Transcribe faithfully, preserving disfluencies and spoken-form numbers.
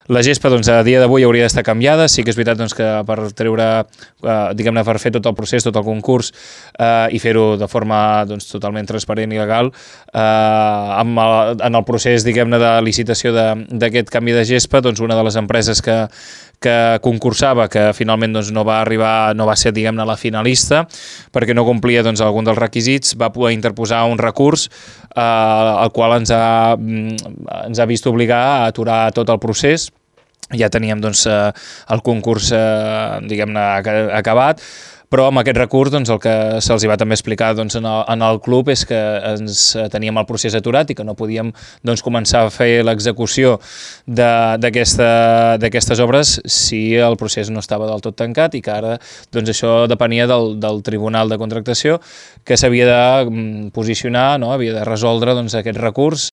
La gespa, doncs, a dia d'avui hauria d'estar canviada. Sí que és veritat doncs, que per treure, eh, diguem-ne, per fer tot el procés, tot el concurs eh, i fer-ho de forma doncs, totalment transparent i legal, eh, amb el, en el procés, diguem-ne, de licitació d'aquest canvi de gespa, doncs, una de les empreses que, que concursava, que finalment doncs, no va arribar, no va ser, diguem-ne, la finalista, perquè no complia doncs, algun dels requisits, va poder interposar un recurs eh, el qual ens ha, ens ha vist obligar a aturar tot el procés. Ja teníem doncs, el concurs eh, diguem-ne acabat, però amb aquest recurs doncs, el que se'ls va també explicar doncs, en, el, en el club és que ens teníem el procés aturat i que no podíem doncs, començar a fer l'execució d'aquestes d'aquesta, obres si el procés no estava del tot tancat i que ara doncs, això depenia del, del Tribunal de Contractació que s'havia de posicionar, no? Havia de resoldre doncs, aquest recurs